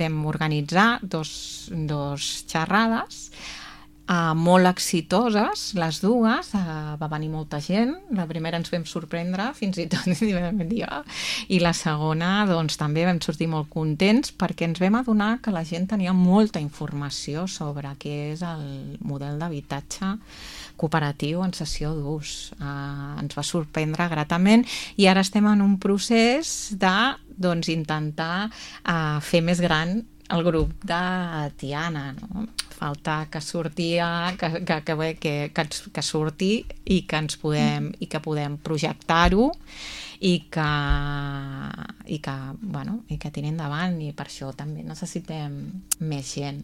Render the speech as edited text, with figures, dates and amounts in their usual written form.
vam organitzar dos xerrades molt exitoses, les dues, va venir molta gent, la primera ens vam sorprendre fins i tot, i la segona doncs també vam sortir molt contents perquè ens vam adonar que la gent tenia molta informació sobre què és el model d'habitatge cooperatiu en cessió d'ús. Ens va sorprendre gratament i ara estem en un procés de intentar fer més gran el grup de Tiana, no? Falta que surti que surti i que podem projectar-ho i que tiri endavant, i per això també necessitem més gent.